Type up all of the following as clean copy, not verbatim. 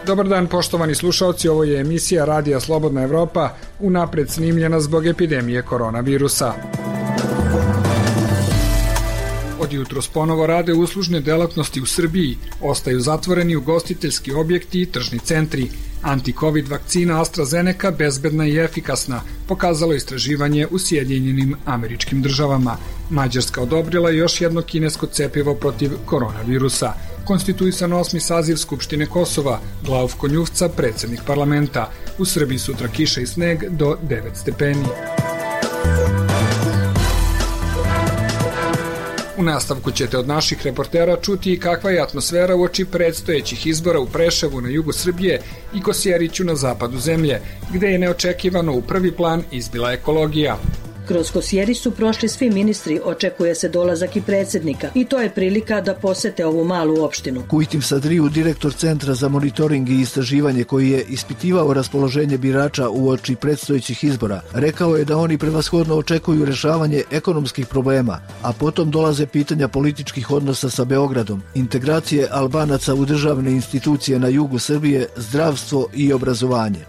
Dobar dan, poštovani slušalci, ovo je emisija Radija Slobodna Evropa, unapred snimljena zbog epidemije koronavirusa. Od jutros ponovo rade uslužne delatnosti u Srbiji, ostaju zatvoreni ugostiteljski objekti i tržni centri. Anti-Covid vakcina AstraZeneca bezbedna i efikasna, pokazalo istraživanje u Sjedinjenim Američkim Državama. Mađarska odobrila još jedno kinesko cepivo protiv koronavirusa. Konstituisan 8. saziv Skupštine Kosova, Glauf Konjufca, predsednik parlamenta. U Srbiji sutra kiša i sneg do 9 stepeni. U nastavku ćete od naših reportera čuti i kakva je atmosfera uoči predstojećih izbora u Preševu na jugu Srbije i Kosjeriću na zapadu zemlje, gde je neočekivano u prvi plan izbila ekologija. Kroz Kosjerić su prošli svi ministri, očekuje se dolazak i predsednika i to je prilika da posete ovu malu opštinu. Kujtim Sadriju, direktor Centra za monitoring i istraživanje koji je ispitivao raspoloženje birača uoči predstojećih izbora, rekao je da oni prevashodno očekuju rešavanje ekonomskih problema, a potom dolaze pitanja političkih odnosa sa Beogradom, integracije Albanaca u državne institucije na jugu Srbije, zdravstvo i obrazovanje.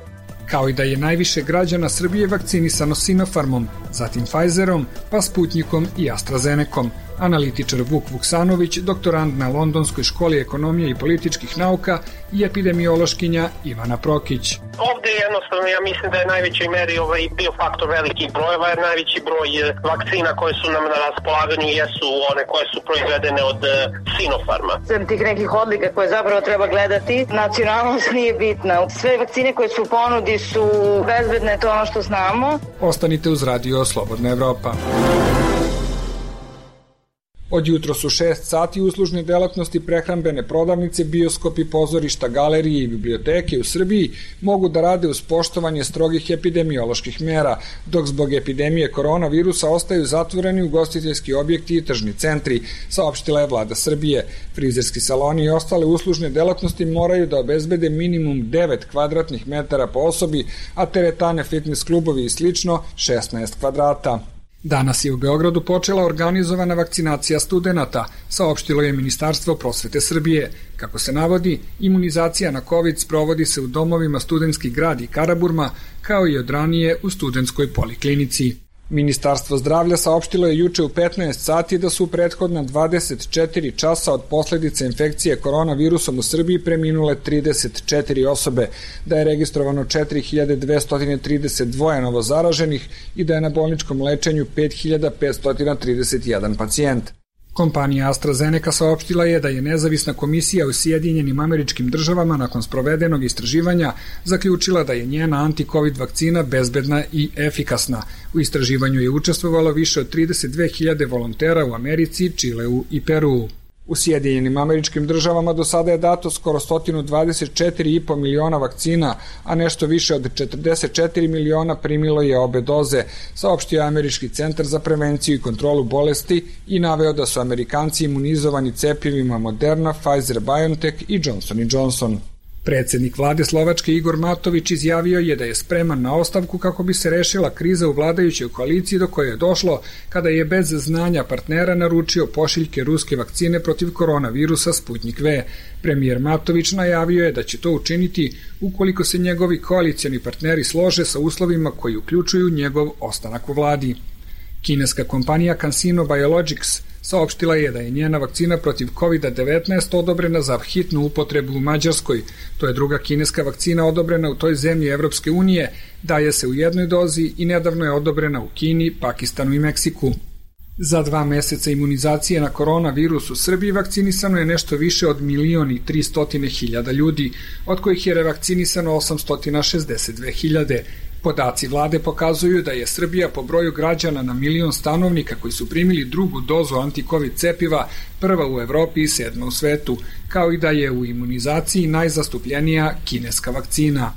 Kao i da je najviše građana Srbije vakcinisano Sinopharmom, zatim Pfizerom, pa Sputnikom i AstraZenecom. Analitičar Vuk Vuksanović, doktorant na Londonskoj školi ekonomije i političkih nauka i epidemiološkinja Ivana Prokić. Ovde jednostavno ja mislim da je najvećoj meri bio faktor velikih brojeva, jer najveći broj vakcina koje su nam na raspolaganju jesu one koje su proizvedene od Sinopharma. Sem tih nekih odlika koje zapravo treba gledati, nacionalnost nije bitna. Sve vakcine koje su u ponudi su bezbedne, to ono što znamo. Ostanite uz Radio Slobodna Evropa. Od jutro su 6 sati uslužne delatnosti, prehrambene prodavnice, bioskopi, pozorišta, galerije i biblioteke u Srbiji mogu da rade uz poštovanje strogih epidemioloških mera, dok zbog epidemije koronavirusa ostaju zatvoreni ugostiteljski objekti i tržni centri, saopštila je vlada Srbije. Frizerski saloni i ostale uslužne delatnosti moraju da obezbede minimum 9 kvadratnih metara po osobi, a teretane, fitness klubovi i slično 16 kvadrata. Danas je u Beogradu počela organizovana vakcinacija studenata, saopštilo je Ministarstvo prosvete Srbije. Kako se navodi, imunizacija na COVID sprovodi se u domovima Studentski grad i Karaburma, kao i od ranije u Studentskoj poliklinici. Ministarstvo zdravlja saopštilo je juče u 15 sati da su u prethodna 24 časa od posledice infekcije koronavirusom u Srbiji preminule 34 osobe, da je registrovano 4232 novo zaraženih i da je na bolničkom lečenju 5531 pacijent. Kompanija AstraZeneca saopštila je da je nezavisna komisija u Sjedinjenim Američkim Državama nakon sprovedenog istraživanja zaključila da je njena anti-Covid vakcina bezbedna i efikasna. U istraživanju je učestvovalo više od 32.000 volontera u Americi, Čileu i Peruu. U Sjedinjenim Američkim Državama do sada je dato skoro 124,5 miliona vakcina, a nešto više od 44 miliona primilo je obe doze, saopštio je Američki centar za prevenciju i kontrolu bolesti i naveo da su Amerikanci imunizovani cepivima Moderna, Pfizer-BioNTech i Johnson & Johnson. Predsednik vlade Slovačke Igor Matović izjavio je da je spreman na ostavku kako bi se rešila kriza u vladajućoj koaliciji do koje je došlo kada je bez znanja partnera naručio pošiljke ruske vakcine protiv koronavirusa Sputnik V. Premijer Matović najavio je da će to učiniti ukoliko se njegovi koalicioni partneri slože sa uslovima koji uključuju njegov ostanak u vladi. Kineska kompanija CanSino Biologics saopštila je da je njena vakcina protiv COVID-19 odobrena za hitnu upotrebu u Mađarskoj. To je druga kineska vakcina odobrena u toj zemlji Evropske unije, daje se u jednoj dozi i nedavno je odobrena u Kini, Pakistanu i Meksiku. Za 2 meseca imunizacije na koronavirus u Srbiji vakcinisano je nešto više od 1.300.000 ljudi, od kojih je revakcinisano 862.000. Podaci vlade pokazuju da je Srbija po broju građana na 1.000.000 stanovnika koji su primili drugu dozu anti-Covid cepiva prva u Evropi i 7. u svetu, kao i da je u imunizaciji najzastupljenija kineska vakcina.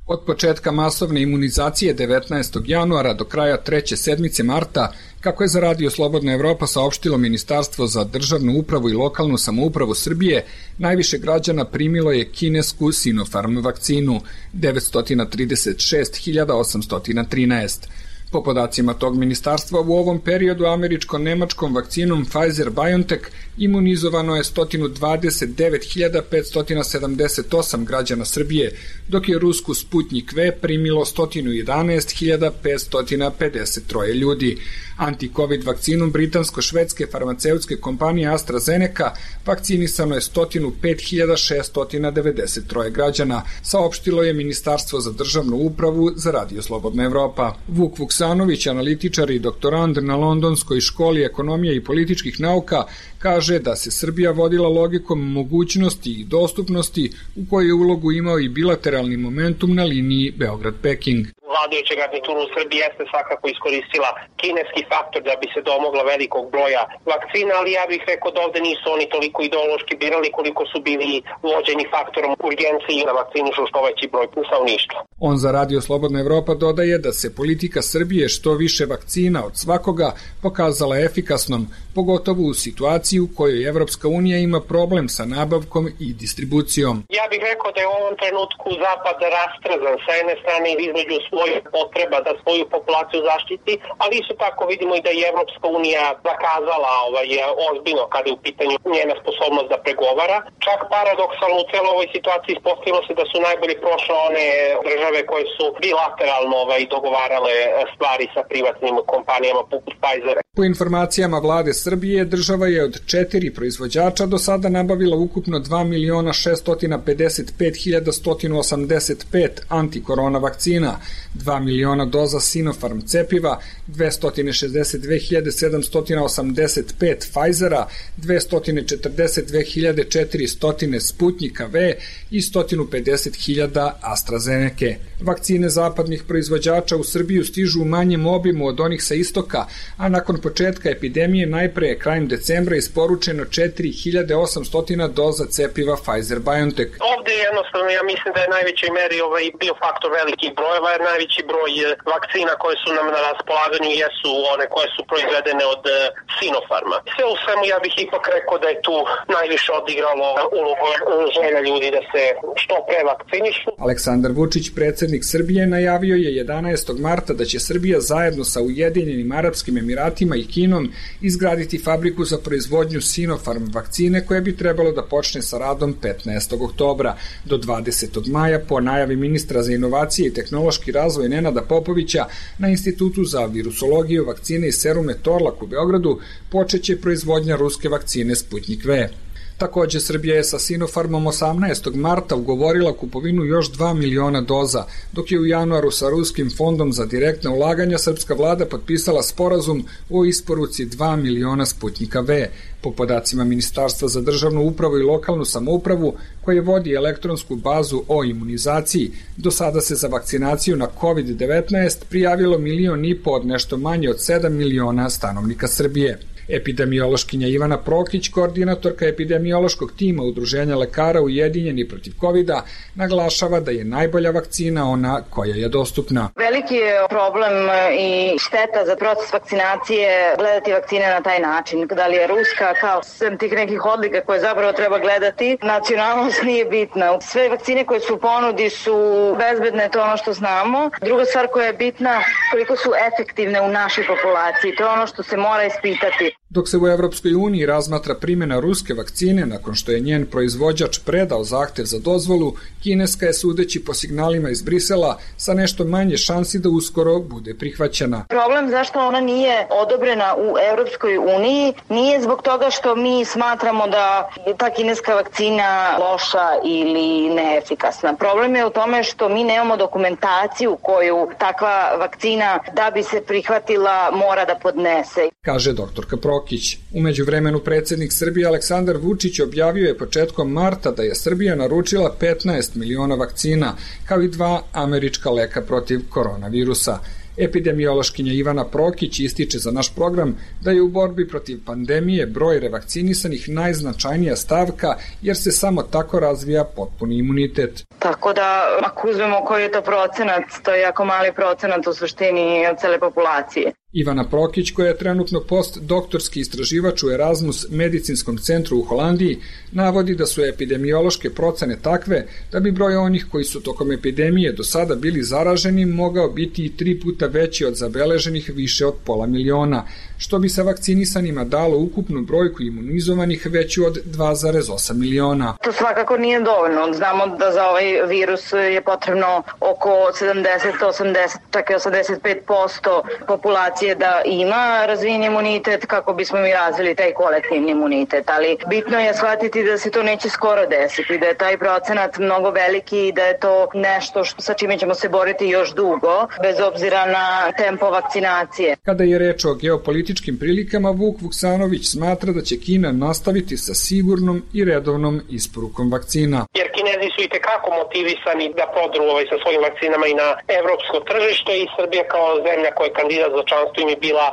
Od početka masovne imunizacije 19. januara do kraja treće sedmice marta, kako je za Radio Slobodna Evropa saopštilo Ministarstvo za državnu upravu i lokalnu samoupravu Srbije, najviše građana primilo je kinesku Sinopharm vakcinu, 936.813. Po podacima tog ministarstva, u ovom periodu američko-nemačkom vakcinom Pfizer-BioNTech imunizovano je 129.578 građana Srbije, dok je rusku Sputnik V primilo 111.553 ljudi. Anti-Covid vakcinom britansko-švedske farmaceutske kompanije AstraZeneca vakcinisano je 105.693 građana, saopštilo je Ministarstvo za državnu upravu za Radio Slobodna Evropa. Vuk Vuksanović, analitičar i doktorand na Londonskoj školi ekonomije i političkih nauka, kaže da se Srbija vodila logikom mogućnosti i dostupnosti u kojoj je ulogu imao i bilateralni momentum na liniji Beograd-Peking. Vladajuća garnitura u Srbiji jeste svakako iskoristila kineski faktor da bi se domogla velikog broja vakcina, ali ja bih rekao da ovde nisu oni toliko ideološki birali koliko su bili vođeni faktorom urgencije i na vakcinišu što veći broj stanovništva. On za Radio Slobodna Evropa dodaje da se politika Srbije što više vakcina od svakoga pokazala efikasnom, pogotovo u situaciji u kojoj Evropska unija ima problem sa nabavkom i distribucijom. Ja bih rekao da je u ovom trenutku Zapad rastrzan sa jedne strane između svojih potreba da svoju populaciju zaštiti, ali isto tako vidimo i da je Evropska unija zakazala ozbiljno kada je u pitanju njena sposobnost da pregovara. Čak paradoksalno u celoj ovoj situaciji ispostavilo se da su najbolje prošle one države koje su bilateralno dogovarale stvari sa privatnim kompanijama poput Pfizera. Po informacijama vlade Srbije, država je od 4 proizvođača do sada nabavila ukupno 2.655.185 antikorona vakcina, 2 miliona doza Sinopharm cepiva, 262.785 Pfizera, 242.400 Sputnika V i 150.000 AstraZeneca. Vakcine zapadnih proizvođača u Srbiju stižu u manjem obimu od onih sa istoka, a nakon početka epidemije najpre krajem decembra isporučeno 4.800 doza cepiva Pfizer-BioNTech. Ovde jednostavno ja mislim da je najvećoj meri bio faktor velikih brojeva, jer najveći broj vakcina koje su nam na raspolaganju jesu one koje su proizvedene od Sinopharma. Sve u svemu ja bih ipak rekao da je tu najviše odigralo ulogu želja ljudi da se što pre vakcinišu. Aleksandar Vučić, predsjednik Srbije, najavio je 11. marta da će Srbija zajedno sa Ujedinjenim Arapskim Emiratima i Kinom izgraditi fabriku za proizvodnju Sinopharm vakcine koja bi trebalo da počne sa radom 15. oktobra. Do 20. maja, po najavi ministra za inovacije i tehnološki razvoj Nenada Popovića, na Institutu za virusologiju, vakcine i serume Torlak u Beogradu počeće proizvodnja ruske vakcine Sputnik V. Takođe, Srbija je sa Sinopharmom 18. marta ugovorila kupovinu još 2 miliona doza, dok je u januaru sa Ruskim fondom za direktna ulaganja srpska vlada potpisala sporazum o isporuci 2 miliona Sputnika V. Po podacima Ministarstva za državnu upravu i lokalnu samoupravu, koje vodi elektronsku bazu o imunizaciji, do sada se za vakcinaciju na COVID-19 prijavilo 1,5 miliona od nešto manje od 7 miliona stanovnika Srbije. Epidemiološkinja Ivana Prokić, koordinatorka epidemiološkog tima Udruženja lekara Ujedinjeni protiv COVID-a, naglašava da je najbolja vakcina ona koja je dostupna. Veliki je problem i šteta za proces vakcinacije gledati vakcine na taj način. Da li je ruska, kao sem tih nekih odlika koje zapravo treba gledati, nacionalnost nije bitna. Sve vakcine koje su u ponudi su bezbedne, to je ono što znamo. Druga stvar koja je bitna, koliko su efektivne u našoj populaciji, to je ono što se mora ispitati. Dok se u Evropskoj uniji razmatra primjena ruske vakcine nakon što je njen proizvođač predao zahtev za dozvolu, kineska je, sudeći po signalima iz Brisela, sa nešto manje šansi da uskoro bude prihvaćena. Problem zašto ona nije odobrena u Evropskoj uniji nije zbog toga što mi smatramo da je ta kineska vakcina loša ili neefikasna. Problem je u tome što mi nemamo dokumentaciju koju takva vakcina da bi se prihvatila mora da podnese, kaže doktorka Prokić. U međuvremenu predsjednik Srbije Aleksandar Vučić objavio je početkom marta da je Srbija naručila 15 miliona vakcina, kao i 2 američka leka protiv koronavirusa. Epidemiološkinja Ivana Prokić ističe za naš program da je u borbi protiv pandemije broj revakcinisanih najznačajnija stavka jer se samo tako razvija potpuni imunitet. Tako da, ako uzmemo koji je to procenat, to je jako mali procenat u suštini od cele populacije. Ivana Prokić, koja je trenutno postdoktorski istraživač u Erasmus medicinskom centru u Holandiji, navodi da su epidemiološke procene takve da bi broj onih koji su tokom epidemije do sada bili zaraženi mogao biti i 3 puta veći od zabeleženih više od 500.000, što bi sa vakcinisanima dalo ukupnu brojku imunizovanih veću od 2,8 miliona. To svakako nije dovoljno. Znamo da za ovaj virus je potrebno oko 70-80, čak i 85% populacije da ima razvijen imunitet kako bismo mi razvili taj kolektivni imunitet, ali bitno je shvatiti da se to neće skoro desiti, da je taj procenat mnogo veliki i da je to nešto sa čime ćemo se boriti još dugo, bez obzira na tempo vakcinacije. Kada je reč o geopolitičkim prilikama, Vuk Vuksanović smatra da će Kina nastaviti sa sigurnom i redovnom isporukom vakcina. Jer Kinezi su itekako motivisani da prodru sa svojim vakcinama i na evropsko tržište i Srbija kao zemlja koja je kandidat za članstvo im je bila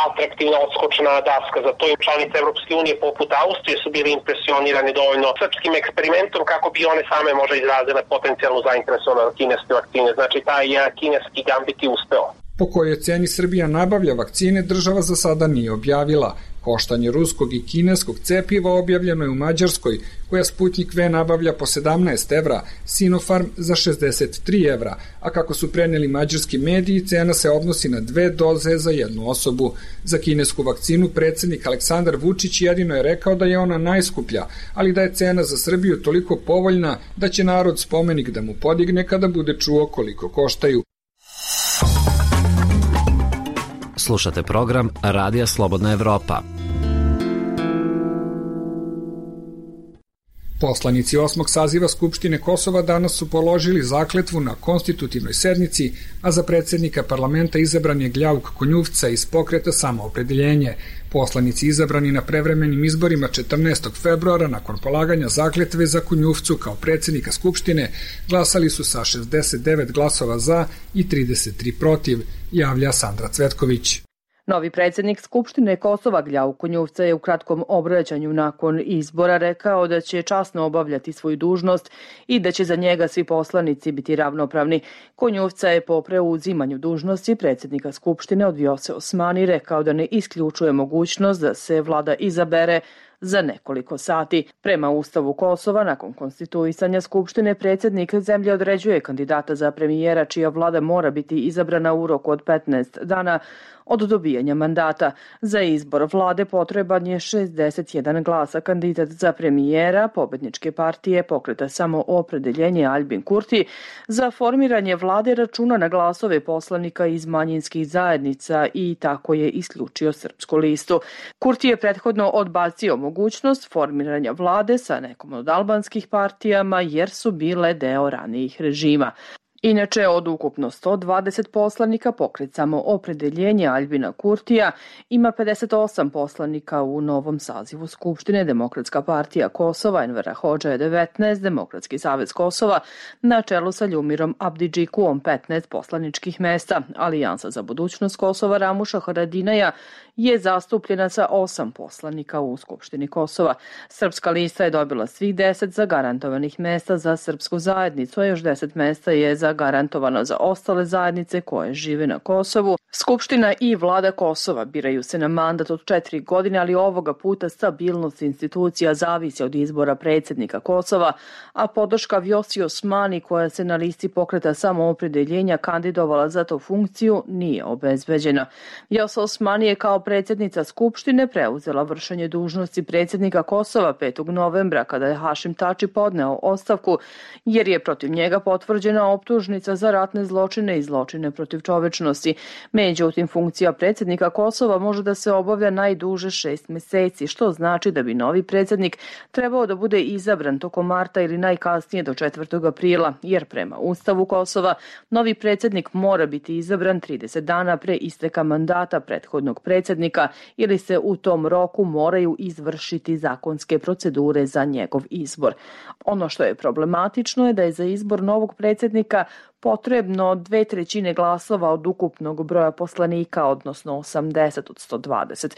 atraktivna odskočna daska. Za to i članice Evropske unije poput Austrije su bili impresionirani dovoljno srpskim eksperimentom kako bi one same možda izrazile potencijalnu zainteresovanost kineske vakcine. Znači taj kineski gambit je uspeo. Po kojoj ceni Srbija nabavlja vakcine država za sada nije objavila. Koštanje ruskog i kineskog cepiva objavljeno je u Mađarskoj, koja Sputnik V nabavlja po 17 evra, Sinopharm za 63 evra, a kako su preneli mađarski mediji, cena se odnosi na 2 doze za jednu osobu. Za kinesku vakcinu predsjednik Aleksandar Vučić jedino je rekao da je ona najskuplja, ali da je cena za Srbiju toliko povoljna da će narod spomenik da mu podigne kada bude čuo koliko koštaju. Slušate program Radija Slobodna Evropa. Poslanici 8. saziva Skupštine Kosova danas su položili zakletvu na konstitutivnoj sednici, a za predsjednika parlamenta izabran je Gljauk Konjuvca iz pokreta Samoopredeljenje. Poslanici izabrani na prevremenim izborima 14. februara nakon polaganja zakletve za Konjuvcu kao predsjednika Skupštine glasali su sa 69 glasova za i 33 protiv, javlja Sandra Cvetković. Novi predsjednik Skupštine Kosova Gljauk Konjuvca je u kratkom obraćanju nakon izbora rekao da će časno obavljati svoju dužnost i da će za njega svi poslanici biti ravnopravni. Konjuvca je po preuzimanju dužnosti predsjednika Skupštine od Vjose Osmani rekao da ne isključuje mogućnost da se vlada izabere za nekoliko sati. Prema Ustavu Kosova, nakon konstituisanja Skupštine, predsjednik zemlje određuje kandidata za premijera čija vlada mora biti izabrana u roku od 15 dana od dobijanja mandata. Za izbor vlade potreban je 61 glasa. Kandidat za premijera pobedničke partije pokreta Samoopredeljenje Aljbin Kurti za formiranje vlade računa na glasove poslanika iz manjinskih zajednica i tako je isključio Srpsku listu. Kurti je prethodno odbacio mogućnost formiranja vlade sa nekom od albanskih partijama jer su bile deo ranijih režima. Inače, od ukupno 120 poslanika pokret Samoopredeljenje Aljbina Kurtija ima 58 poslanika u novom sazivu Skupštine. Demokratska partija Kosova Envera Hodža je 19, Demokratski savez Kosova na čelu sa Ljumirom Abdidžikuom 15 poslaničkih mesta. Alijansa za budućnost Kosova Ramuša Haradinaja je zastupljena sa 8 poslanika u Skupštini Kosova. Srpska lista je dobila svih 10 zagarantovanih mesta za srpsku zajednicu, a još 10 mesta je zagarantovano za ostale zajednice koje žive na Kosovu. Skupština i vlada Kosova biraju se na mandat od 4 godine, ali ovoga puta stabilnost institucija zavisi od izbora predsjednika Kosova, a podrška Vjosi Osmani, koja se na listi pokreta Samoopredeljenja kandidovala za tu funkciju, nije obezbeđena. Vjosa Osmani je kao predsjednica Skupštine preuzela vršenje dužnosti predsjednika Kosova 5. novembra kada je Hašim Tači podneo ostavku jer je protiv njega potvrđena optužnica za ratne zločine i zločine protiv čovečnosti. Međutim, funkcija predsjednika Kosova može da se obavlja najduže 6 meseci, što znači da bi novi predsjednik trebao da bude izabran tokom marta ili najkasnije do 4. aprila, jer prema Ustavu Kosova novi predsjednik mora biti izabran 30 dana pre isteka mandata prethodnog predsjednika ili se u tom roku moraju izvršiti zakonske procedure za njegov izbor. Ono što je problematično je da je za izbor novog predsjednika potrebno 2/3 glasova od ukupnog broja poslanika, odnosno 80 od 120.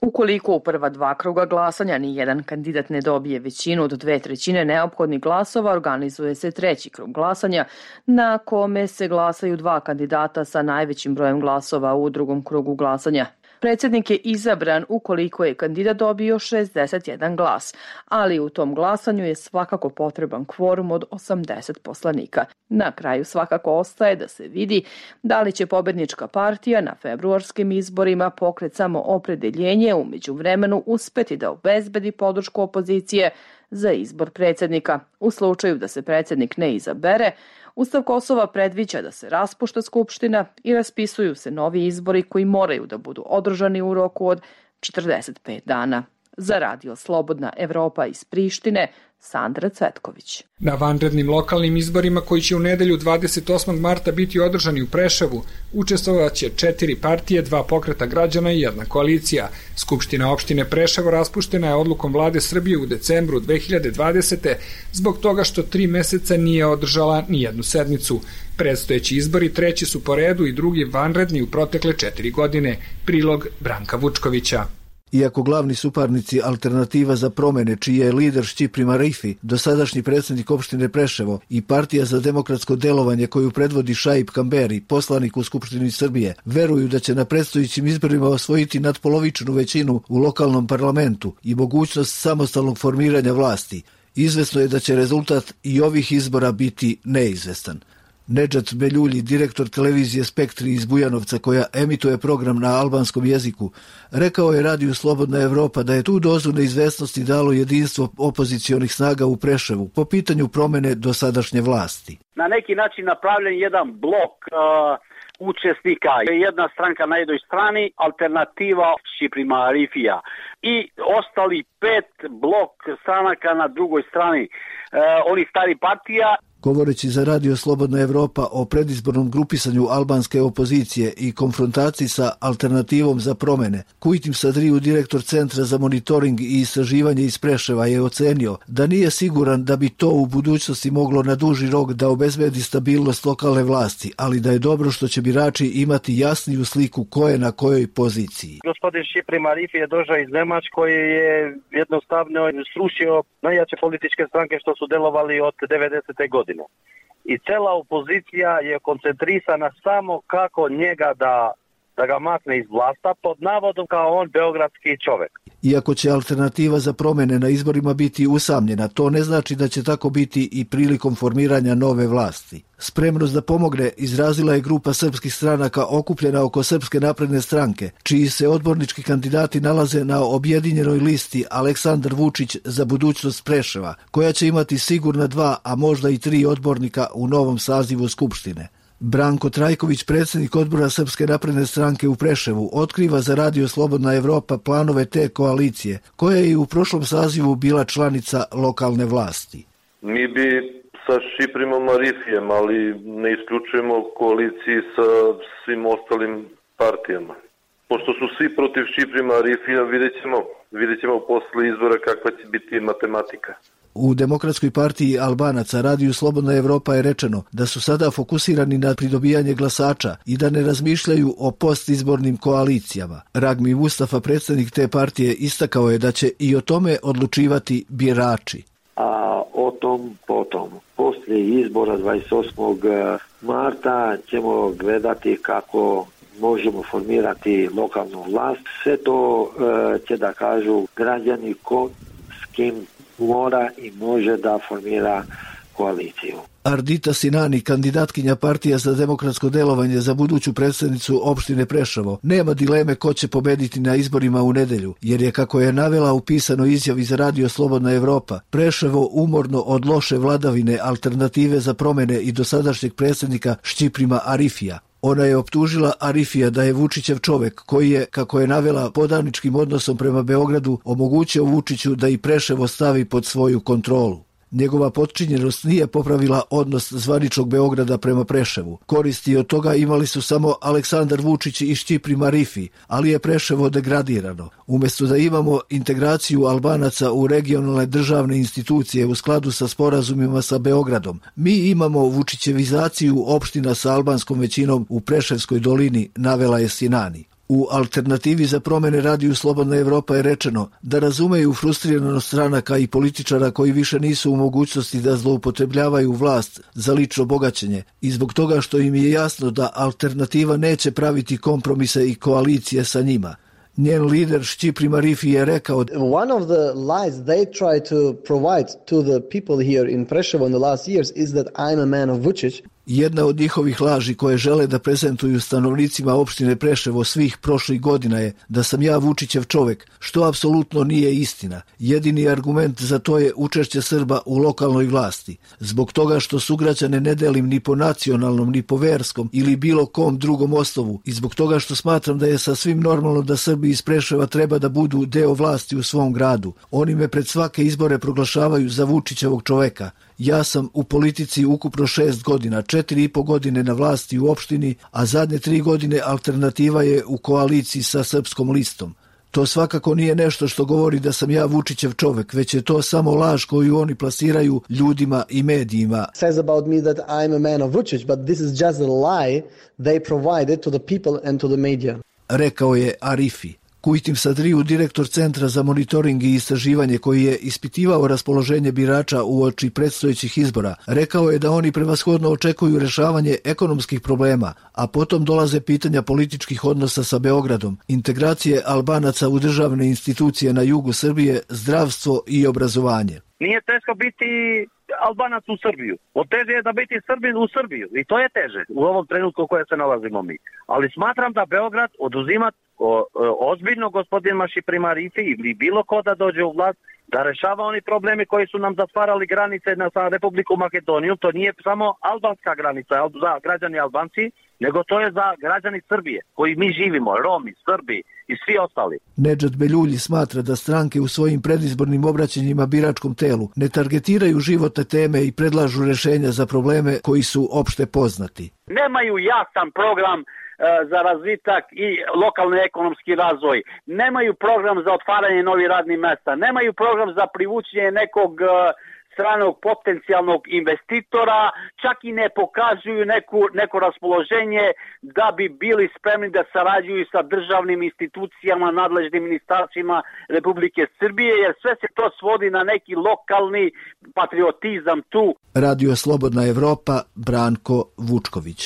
Ukoliko u prva 2 kruga glasanja ni jedan kandidat ne dobije većinu od 2/3 neophodnih glasova, organizuje se 3. krug glasanja na kome se glasaju 2 kandidata sa najvećim brojem glasova u drugom krugu glasanja. Predsjednik je izabran ukoliko je kandidat dobio 61 glas, ali u tom glasanju je svakako potreban kvorum od 80 poslanika. Na kraju svakako ostaje da se vidi da li će pobednička partija na februarskim izborima Pokret Samoopredeljenje u međuvremenu uspeti da obezbedi podršku opozicije za izbor predsjednika. U slučaju da se predsjednik ne izabere, Ustav Kosova predviđa da se raspušta Skupština i raspisuju se novi izbori koji moraju da budu održani u roku od 45 dana. Za Radio Slobodna Evropa iz Prištine, Sandra Cvetković. Na vanrednim lokalnim izborima koji će u nedelju 28. marta biti održani u Preševu, učestvovaće 4 partije, 2 pokreta građana i 1 koalicija. Skupština opštine Preševo raspuštena je odlukom vlade Srbije u decembru 2020. zbog toga što 3 meseca nije održala ni jednu sednicu. Predstojeći izbori 3. su po redu i drugi vanredni u protekle 4 godine. Prilog Branka Vučkovića. Iako glavni suparnici Alternativa za promene, čiji je lider Šćiprim Arifi, dosadašnji predsjednik opštine Preševo, i Partija za demokratsko delovanje koju predvodi Šaip Kamberi, poslanik u Skupštini Srbije, veruju da će na predstojećim izborima osvojiti nadpolovičnu većinu u lokalnom parlamentu i mogućnost samostalnog formiranja vlasti, izvesno je da će rezultat i ovih izbora biti neizvestan. Nedžat Beljulji, direktor televizije Spektri iz Bujanovca koja emituje program na albanskom jeziku, rekao je Radiju Slobodna Evropa da je tu dozu neizvesnosti dalo jedinstvo opozicionih snaga u Preševu po pitanju promene dosadašnje vlasti. Na neki način napravljen jedan blok učesnika. Jedna stranka na jednoj strani, Alternativa Šćiprima Arifija i ostali 5 blok stranaka na drugoj strani. Oni stari partija. Govoreći za Radio Slobodna Evropa o predizbornom grupisanju albanske opozicije i konfrontaciji sa Alternativom za promene, Kujtim Sadriju, direktor Centra za monitoring i istraživanje iz Preševa, je ocenio da nije siguran da bi to u budućnosti moglo na duži rok da obezbedi stabilnost lokalne vlasti, ali da je dobro što će birači imati jasniju sliku ko je na kojoj poziciji. Gospodin Šćiprim Arifi je došao iz Nemačke koji je jednostavno srušio najjače političke stranke što su delovali od 90. godine. I cela opozicija je koncentrisana samo kako njega da ga makne iz vlasta pod navodom kao on beogradski čovek. Iako će Alternativa za promene na izborima biti usamljena, to ne znači da će tako biti i prilikom formiranja nove vlasti. Spremnost da pomogne izrazila je grupa srpskih stranaka okupljena oko Srpske napredne stranke, čiji se odbornički kandidati nalaze na objedinjenoj listi Aleksandar Vučić za budućnost Preševa, koja će imati sigurna 2, a možda i 3 odbornika u novom sazivu Skupštine. Branko Trajković, predsjednik odbora Srpske napredne stranke u Preševu, otkriva za Radio Slobodna Evropa planove te koalicije, koja je i u prošlom sazivu bila članica lokalne vlasti. Mi bi sa Šćiprimom Arifijem, ali ne isključujemo koaliciji sa svim ostalim partijama. Pošto su svi protiv Šćiprima Arifija, vidjet ćemo posle izbora kakva će biti matematika. U Demokratskoj partiji Albanaca Radiju Slobodna Evropa je rečeno da su sada fokusirani na pridobijanje glasača i da ne razmišljaju o postizbornim koalicijama. Ragmi Mustafa, predsjednik te partije, istakao je da će i o tome odlučivati birači. A o tom potom. Poslije izbora 28. marta ćemo gledati kako možemo formirati lokalnu vlast. Sve to će da kažu građani ko s kim mora i može da formira koaliciju. Ardita Sinani, kandidatkinja Partija za demokratsko delovanje za buduću predsjednicu opštine Preševo, nema dileme ko će pobediti na izborima u nedelju, jer je, kako je navela u pisanoj izjavi za Radio Slobodna Evropa, Preševo umorno od loše vladavine Alternative za promene i dosadašnjeg predsjednika Šćiprima Arifija. Ona je optužila Arifija da je Vučićev čovek koji je, kako je navela, podaničkim odnosom prema Beogradu omogućio Vučiću da i Preševo stavi pod svoju kontrolu. Njegova potčinjenost nije popravila odnos zvaničnog Beograda prema Preševu. Koristi od toga imali su samo Aleksandar Vučić i Šćipri Marifi, ali je Preševo degradirano. Umjesto da imamo integraciju Albanaca u regionalne državne institucije u skladu sa sporazumima sa Beogradom, mi imamo vučićevizaciju opština sa albanskom većinom u Preševskoj dolini, navela je Sinani. U alternativi za promene Radiju Slobodna Evropa je rečeno da razumeju frustriranost stranaka i političara koji više nisu u mogućnosti da zloupotrebljavaju vlast za lično bogaćenje i zbog toga što im je jasno da alternativa neće praviti kompromise i koalicije sa njima. Njen lider Šćipri Marifi je rekao: One of the lies they try to provide to the people here in Preševo in the last years is that I'm a man of Vučić. Jedna od njihovih laži koje žele da prezentuju stanovnicima opštine Preševo svih prošlih godina je da sam ja Vučićev čovek, što apsolutno nije istina. Jedini argument za to je učešće Srba u lokalnoj vlasti. Zbog toga što sugrađane ne delim ni po nacionalnom, ni po verskom ili bilo kom drugom osnovu i zbog toga što smatram da je sasvim normalno da Srbi iz Preševa treba da budu deo vlasti u svom gradu. Oni me pred svake izbore proglašavaju za Vučićevog čoveka. Ja sam u politici ukupno 6 godina, 4,5 godine na vlasti u opštini, a zadnje 3 godine alternativa je u koaliciji sa Srpskom listom. To svakako nije nešto što govori da sam ja Vučićev čovek, već je to samo laž koju oni plasiraju ljudima i medijima. Says about me that I'm a man of Vučić, but this is just a lie they provided to the people and to the media. Rekao je Arifi. Kujtim Sadriju, direktor Centra za monitoring i istraživanje koji je ispitivao raspoloženje birača uoči predstojećih izbora, rekao je da oni prevashodno očekuju rešavanje ekonomskih problema, a potom dolaze pitanja političkih odnosa sa Beogradom, integracije Albanaca u državne institucije na jugu Srbije, zdravstvo i obrazovanje. Nije teško biti Albanac u Srbiju. Od teže je da biti Srbin u Srbiju. I to je teže u ovom trenutku u kojem se nalazimo mi. Ali smatram da Beograd oduzima ozbiljno gospodina Šćipri Marifi ili bilo ko da dođe u vlast, da rešava oni problemi koji su nam zatvarali granice sa Republiku Makedoniju. To nije samo albanska granica za građani Albanci, nego to je za građani Srbije koji mi živimo, Romi, Srbi i svi ostali. Nedžad Beljulji smatra da stranke u svojim predizbornim obraćanjima biračkom telu ne targetiraju životne teme i predlažu rešenja za probleme koji su opšte poznati. Nemaju jasan program za razvitak i lokalni ekonomski razvoj, nemaju program za otvaranje novih radnih mesta, nemaju program za privučenje nekog stranog potencijalnog investitora, čak i ne pokazuju neko raspoloženje da bi bili spremni da sarađuju sa državnim institucijama, nadležnim ministarstvima Republike Srbije, jer sve se to svodi na neki lokalni patriotizam tu. Radio Slobodna Evropa, Branko Vučković.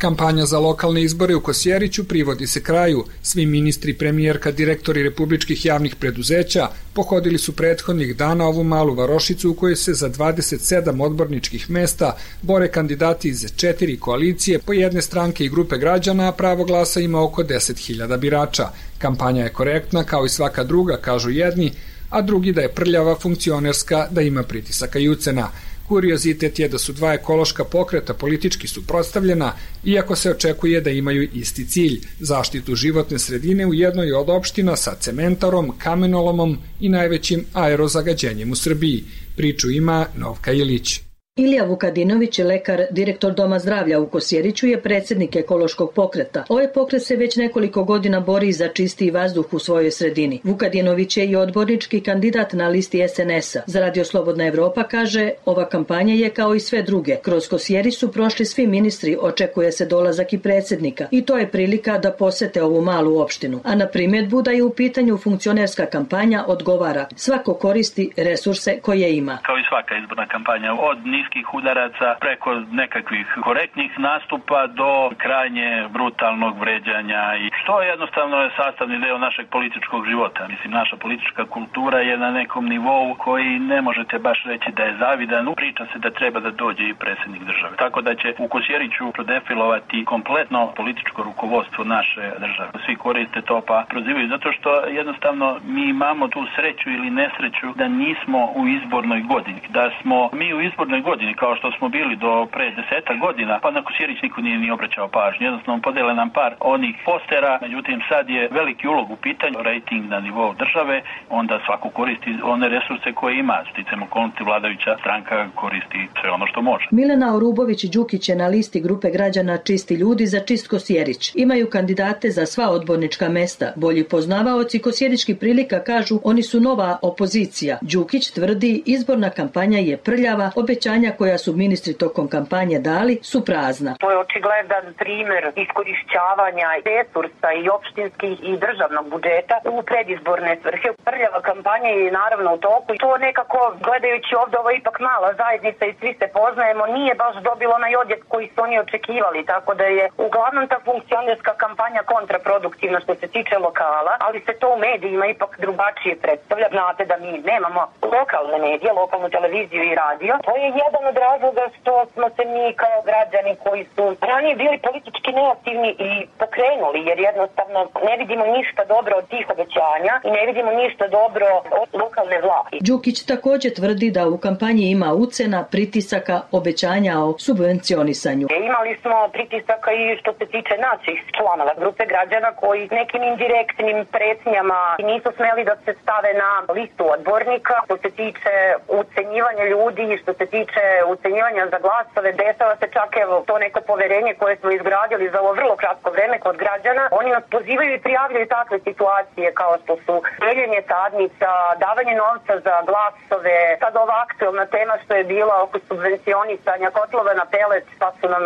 Kampanja za lokalne izbore u Kosjeriću privodi se kraju. Svi ministri, premijerka, direktori republičkih javnih preduzeća pohodili su prethodnih dana ovu malu varošicu u kojoj se za 27 odborničkih mesta bore kandidati iz 4 koalicije po jedne stranke i grupe građana, a pravo glasa ima oko 10.000 birača. Kampanja je korektna kao i svaka druga, kažu jedni, a drugi da je prljava, funkcionerska, da ima pritisaka i ucena. Kuriozitet je da su dva ekološka pokreta politički suprotstavljena, iako se očekuje da imaju isti cilj, zaštitu životne sredine u jednoj od opština sa cementarom, kamenolomom i najvećim aerozagađenjem u Srbiji. Priču ima Novka Ilić. Ilija Vukadinović, lekar, direktor Doma zdravlja u Kosjeriću, je predsjednik ekološkog pokreta. Ovaj pokret se već nekoliko godina bori za čistiji vazduh u svojoj sredini. Vukadinović je i odbornički kandidat na listi SNS-a. Za Radio Slobodna Evropa kaže, ova kampanja je kao i sve druge. Kroz Kosjerić su prošli svi ministri, očekuje se dolazak i predsjednika. I to je prilika da posete ovu malu opštinu. A na primjedbu da je u pitanju funkcionerska kampanja odgovara. Svako koristi resurse koje ima. Kao i svaka izborna kampanja, od niskih udaraca preko nekakvih korektnih nastupa do krajnje brutalnog vređanja, i što jednostavno je sastavni deo našeg političkog života. Mislim, naša politička kultura je na nekom nivou koji ne možete baš reći da je zavidan. Priča se da treba da dođe i predsjednik države. Tako da će u Kosjeriću prodefilovati kompletno političko rukovodstvo naše države. Svi koriste to pa prozivaju zato što jednostavno mi imamo tu sreću ili nesreću da nismo u izbornoj godini. Da smo mi u izbornoj godini godini, kao što smo bili do pre 10 godina, pa na Kosjerić niko nije ni obraćao pažnju. Jednostavno podele nam par onih postera, međutim sad je veliki ulog u pitanju, rejting na nivou države, onda svako koristi one resurse koje ima. Sticam okolnosti, vladajuća stranka koristi sve ono što može. Milena Orubović-Đukić je na listi grupe građana Čisti ljudi za čist Kosjerić. Imaju kandidate za sva odbornička mesta. Bolji poznavaoci kosjeričkih prilika kažu oni su nova opozicija. Đukić tvrdi izborna kampanja je prljava, obećanja koja su ministri tokom kampanje dali su prazna. To je očigledan primjer iskorišćavanja resursa i opštinskih i državnog budžeta u predizborne svrhe. Prljava kampanja je naravno u toku i to nekako, gledajući ovdje, ovo je ipak mala zajednica i svi se poznajemo, nije baš dobilo onaj odjek koji su oni očekivali, tako da je uglavnom ta funkcionerska kampanja kontraproduktivna što se tiče lokala, ali se to u medijima ipak drugačije predstavlja. Znate da mi nemamo lokalne medije, lokalnu televiziju i radio. To je jedan od razloga što smo se mi kao građani koji su ranije bili politički neaktivni i pokrenuli, jer jednostavno ne vidimo ništa dobro od tih obećanja i ne vidimo ništa dobro od lokalne vlasti. Đukić također tvrdi da u kampanji ima ucena, pritisaka, obećanja o subvencionisanju. Imali smo pritisaka i što se tiče naših članova grupe građana koji nekim indirektnim pretnjama nisu smeli da se stave na listu odbornika. Što se tiče ucenjivanja ljudi i što se tiče ucenjivanja za glasove, dešava se čak evo to neko poverenje koje smo izgradili za ovo vrlo kratko vreme kod građana. Oni nas pozivaju i prijavljaju takve situacije kao što su deljenje sadnica, davanje novca za glasove. Sad ova aktualna tema što je bila oko subvencionisanja kotlova na pelet, pa su nam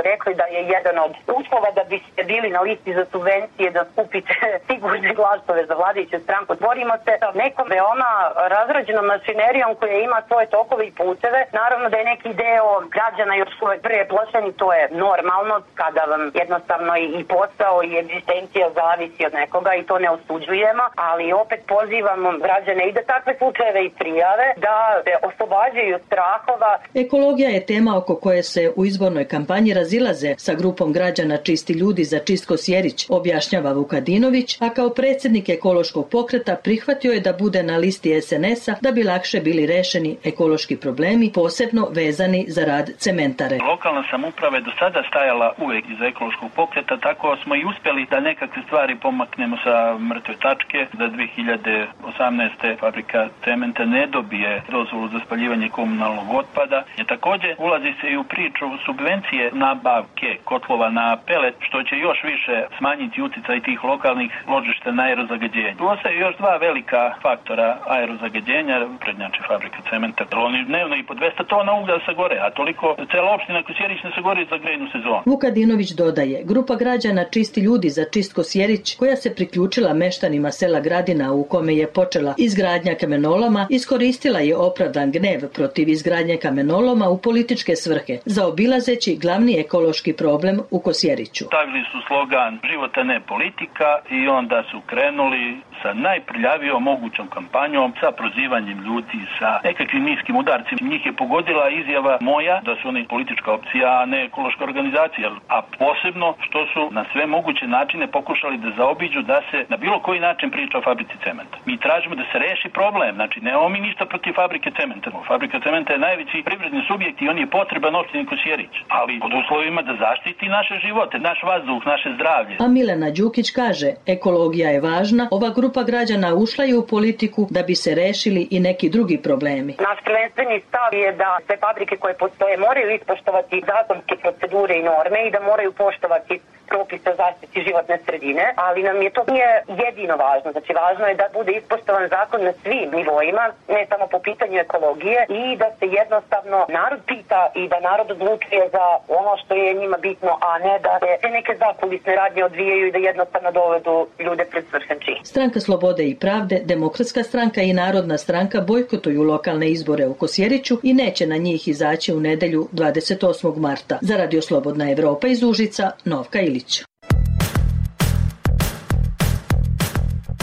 rekli da je jedan od uslova da biste bili na listi za subvencije da skupite sigurne glasove za vladajuću stranku. Borimo se sa nekom veoma razrađenom mašinerijom koja ima svoje tokove i puteve. Naravno da je neki deo građana još uvek preplašen i to je normalno kada vam jednostavno i posao i egzistencija zavisi od nekoga i to ne osuđujemo, ali opet pozivamo građane i da takve slučajeve i prijave, da se oslobađaju strahova. Ekologija je tema oko koje se u izbornoj kampanji razilaze sa grupom građana Čisti ljudi za čist Kosjerić, objašnjava Vukadinović, a kao predsjednik ekološkog pokreta prihvatio je da bude na listi SNS-a da bi lakše bili rešeni ekološki problemi, posebno vezani za rad cementare. Lokalna samouprava je do sada stajala uvek iza ekološkog pokreta, tako smo i uspjeli da nekakve stvari pomaknemo sa mrtve tačke, da 2018. fabrika cementa ne dobije dozvolu za spaljivanje komunalnog otpada. Također ulazi se i u priču subvencije nabavke kotlova na pelet, što će još više smanjiti uticaj tih lokalnih ložišta na aerozagađenje. Tu ostaju još dva velika faktora aerozagađenja, prednjače fabrika cementa. Oni dnevno i po 200 tona uglja sagore, a toliko cela opština Kosjerić ne sagori za grejnu sezonu. Vukadinović dodaje, grupa građana Čisti ljudi za čist Kosjerić, koja se priključila meštanima sela Gradina u kome je počela izgradnja kamenoloma, iskoristila je opravdan gnev protiv izgradnje kamenoloma u političke svrhe, zaobilazeći glavni ekološki problem u Kosjeriću. Stavili su slogan života ne politika i onda su krenuli sa najprljavijom mogućom kampanjom, sa prozivanjem ljudi, sa nekakvim niskim udarcima. Njih je pogodila izjava moja da su oni politička opcija, a ne ekološka organizacija, a posebno što su na sve moguće načine pokušali da zaobiđu da se na bilo koji način priča o fabrici cementa. Mi tražimo da se reši problem, znači nemamo mi ništa protiv fabrike cementa. Fabrika cementa je najveći privredni subjekt i on je potreban opštini Kosjerić, ali pod uslovima da zaštiti naše živote, naš vazduh, naše zdravlje. A Milena Đukić kaže, ekologija je važna, ova grupa građana ušla je u politiku da bi se rešili i neki drugi problemi. Naš prvenstveni stav je da sve fabrike koje postoje moraju ispoštovati zakonske procedure i norme i da moraju poštovati propise o zaštiti životne sredine, ali nam je to nije jedino važno. Znači važno je da bude ispoštovan zakon na svim nivoima, ne samo po pitanju ekologije i da se jednostavno narod pita i da narod odlučuje za ono što je njima bitno, a ne da se neke zakulisne radnje odvijaju i da jednostavno dovedu ljude pred svršen čin. Stranka Slobode i pravde, Demokratska stranka i Narodna stranka bojkotuju lokalne izbore u Kosjeriću i neće na njih izaći u nedelju 28. marta. Za Radio Slobodna Evropa iz Užica, Novka Ilić.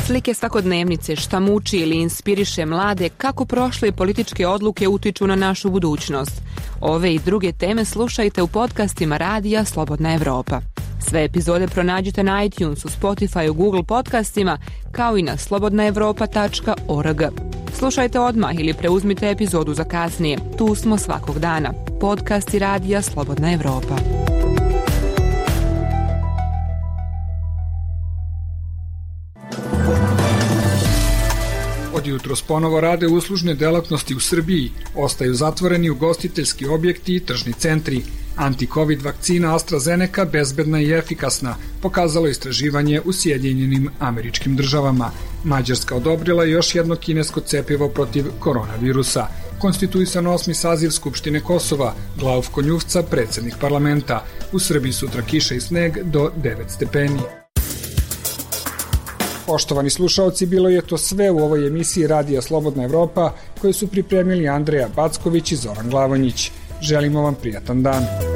Slike svakodnevnice, šta muči ili inspiriše mlade, kako prošle političke odluke utiču na našu budućnost. Ove i druge teme slušajte u podcastima Radija Slobodna Evropa. Sve epizode pronađite na iTunesu, Spotifyu, Google podcastima, kao i na slobodnaevropa.org. Slušajte odmah ili preuzmite epizodu za kasnije. Tu smo svakog dana. Podcast i radija Slobodna Evropa. Od jutros ponovo rade uslužne delatnosti u Srbiji, ostaju zatvoreni ugostiteljski objekti i tržni centri. Anti-Covid vakcina AstraZeneca bezbedna i efikasna, pokazalo istraživanje u Sjedinjenim Američkim Državama. Mađarska odobrila još jedno kinesko cepivo protiv koronavirusa. Konstituisan 8. saziv Skupštine Kosova, Glauf Konjuvca, predsednik parlamenta. U Srbiji sutra kiša i sneg do 9 stepeni. Poštovani slušaoci, bilo je to sve u ovoj emisiji Radija Slobodna Evropa, koju su pripremili Andreja Backović i Zoran Glavonjić. Želimo vam prijatan dan.